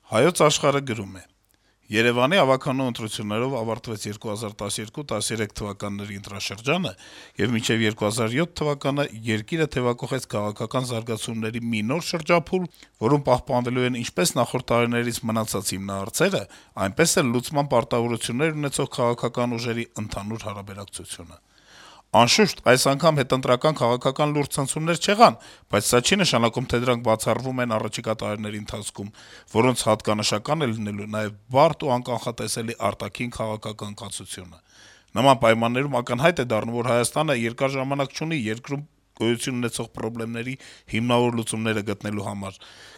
Հայոց աշխարհը գրում է. - Երեւանի ավականու ընտրություններով ավարտվեց 2012-13 թվականների ընտրաշրջանը, եւ մինչեւ 2007 թվականը երկիրը թեւակոխեց քաղաքական զարգացումների մի նոր շրջափուլ, որում պահպանվելու են ինչպես նախորդ տարիներից մնացած հիմնահարցերը, այնպես էլ լուծման պարտավորություններ ունեցող քաղաքական ուժերի ընդհանուր հարաբերակցությունը: Անշուշտ, այս անգամ հետընտրական քաղաքական լուրջ ցնցումներ չեղան, բայց սա չի նշանակում, թե դրանք բացառվում են առաջիկա տարիների ընթացքում, որոնց հատկանշական է լինելու նաեւ բարդ ու անկանխատեսելի արտաքին քաղաքական կացությունը: Նման պայմաններում ակնհայտ է դառնում, որ Հայաստանը երկար ժամանակ չունի երկրում գոյություն ունեցող խնդիրների հիմնավոր լուծումները գտնելու համար,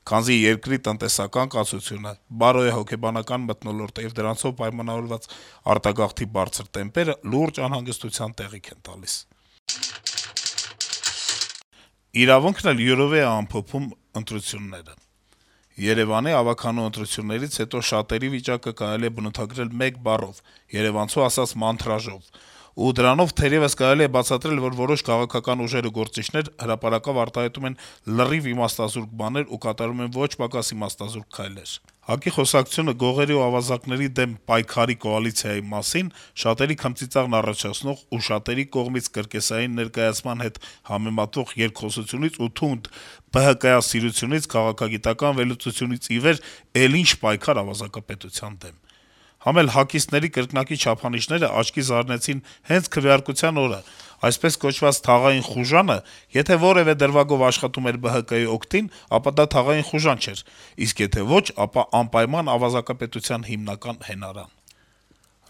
քանզի երկրի տնտեսական կացությունը, բարոյահոգեբանական մթնոլորտը եւ դրանցով պայմանավորված արտագաղթի բարձր տեմպերը լուրջ անհանգստության տեղիք են տալիս: «Իրավունք»-ն էլ յուրովի է ամփոփում ընտրությունները. - «Երեւանի ավականու ընտրություններից հետո շատերի վիճակը կարելի է բնութագրել մեկ բառով, երեւանցու ասած` մանթրաժով: Ու դրանով թերեւս կարելի է բացատրել, որ որոշ քաղաքական ուժեր ու գործիչներ հրապարակավ արտահայտում են լրիվ իմաստազուրկ բաներ ու կատարում են ոչ պակաս իմաստազուրկ քայլեր: ՀԱԿ-ի խոսակցությունը գողերի ու ավազակների դեմ պայքարի կոալիցիայի մասին շատերի քմծիծաղն առաջացնող ու շատերի կողմից կրկեսային ներկայացման հետ համեմատվող երկխոսությունից ու թունդ ԲՀԿ-սիրությունից, քաղաքագիտական վերլուծությունից ի վեր էլ ինչ պայքար ավազակապետության դեմ: Համ էլ ՀԱԿ-իստների կրկնակի չափանիշները աչքի զարնեցին հենց քվեարկության օրը: Այսպես կոչված թաղային խուժանը եթե որեւէ դրվագով աշխատում էր ԲՀԿ-ի օգտին, ապա դա թաղային խուժան չէր, իսկ եթե ոչ, ապա անպայման ավազակապետության հիմնական հենարան: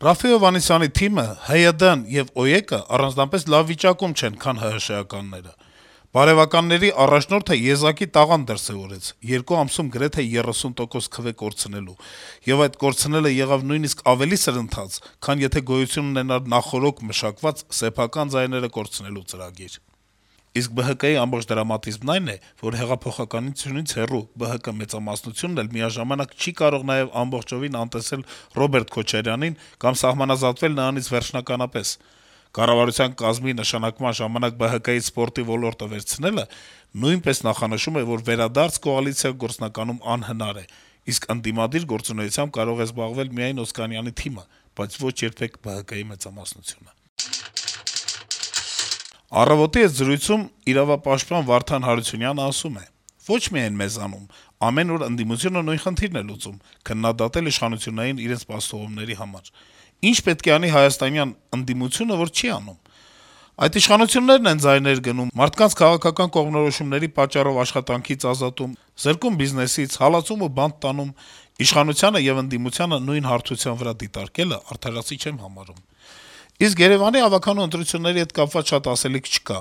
Րաֆֆի Հովհաննիսյանի թիմը, ՀՅԴ-ն եւ ՕԵԿ-ը առանձնապես լավ վիճակում չեն, քան ՀՀՇ-ականները: Բարեւականների առաջնորդը եզակի տաղանդ դրսեւորեց` 2 ամսում գրեթե 30% քվե կորցնելու, եւ այդ կորցնելը եղավ նույնիսկ ավելի սրընթաց, քան եթե գոյություն ունենար նախօրոք մշակված սեփական ձայները կորցնելու ծրագիր: Իսկ ԲՀԿ-ի ամբողջ դրամատիզմն այն է, որ հեղափոխականությունից հեռու ԲՀԿ մեծամասնությունն էլ միաժամանակ չի կարող նաեւ ամբողջովին անտեսել Ռոբերտ Քոչարյանին կամ սահմանազատվել նրանից վերջնականապես: Կառավարության կազմի նշանակման ժամանակ ԲՀԿ-ից սպորտի ոլորտը վերցնելը նույնպես նախանշում է, որ վերադարձ կոալիցիա գործնականում անհնար է, իսկ ընդդիմադիր գործունեությամբ կարող է զբաղվել միայն Օսկանյանի թիմը, բայց ոչ երբեք ԲՀԿ-ի մեծամասնությունը»: «Առավոտ»-ի հետ զրույցում իրավապաշտպան Վարդան Հարությունյանը ասում է. - «Ոչ միայն մեզանում: Ամեն օր ընդդիմությունը նույն խնդիրն է լուծում` քննադատել իշխանություններին իրենց պաշտողությունների համար: Ի՞նչ պետք է անի հայաստանյան ընդդիմությունը, որ չի անում: Այդ իշխանություններն են ձայներ գնում, մարդկանց քաղաքական կողմնորոշումների պատճառով աշխատանքից ազատում, զրկում բիզնեսից, հալածում ու բանտ տանում: Իշխանությանը եւ ընդդիմությանը նույն հարթության վրա դիտարկելը արդարացի չեմ համարում: Իսկ Երեւանի ավականու ընտրությունների հետ կապված շատ ասելիք չկա: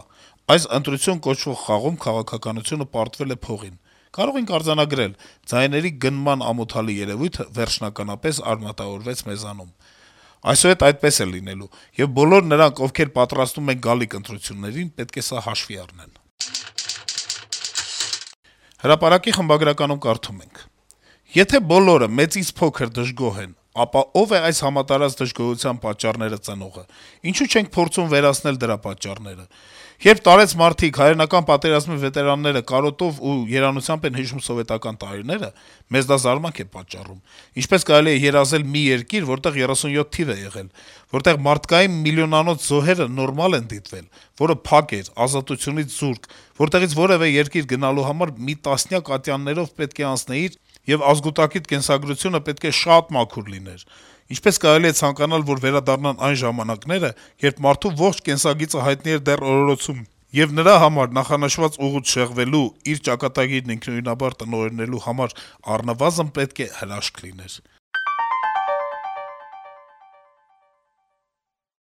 Այս ընտրություն կոչվող խաղում քաղաքականությունը պարտվել է փողին: Կարող ենք արձանագրել. ձայների գնման ամոթալի երեւույթը վերջնականապես արմատավորվեց մեզանում: Այսուհետ այդպես է լինելու, եւ բոլոր նրանք, ովքեր պատրաստվում են գալիք ընտրություններին, պետք է սա հաշվի առնեն»: «Հրապարակ»-ի խմբագրականում կարդում ենք. - «Եթե բոլորը, մեծից փոքր, դժգոհ են, ապա ո՞վ է այս համատարած դժգոհության պատճառները ծնողը: Ինչո՞ւ չենք փորձում վերացնել դրա պատճառները: Երբ տարեց մարդիկ, հայրենական պատերազմի վետերանները կարոտով ու երանությամբ են հիշում սովետական տարիները, մեզ դա զարմանք է պատճառում: Ինչպես կարելի է երազել մի երկիր, որտեղ 37 թիվ է եղել, որտեղ մարդկային միլիոնանոց զոհերը նորմալ են դիտվել, որը փակ էր, ազատությունից զուրկ, որտեղից որեւէ երկիր գնալու համար մի տասնյակ ատյաններով պետք է անցնեիր, եւ ազգուտակիդ կենսագրությունը պետք է շատ մաքուր լիներ: Ինչպես կարելի է ցանկանալ, որ վերադառնան այն ժամանակները, երբ մարդու ողջ կենսագիծը հայտնի էր դեռ օրորոցում, եւ նրա համար նախանշված ուղուց շեղվելու, իր ճակատագիրն ինքնուրույնաբար տնօրինելու համար առնվազն պետք է հրաշք լիներ: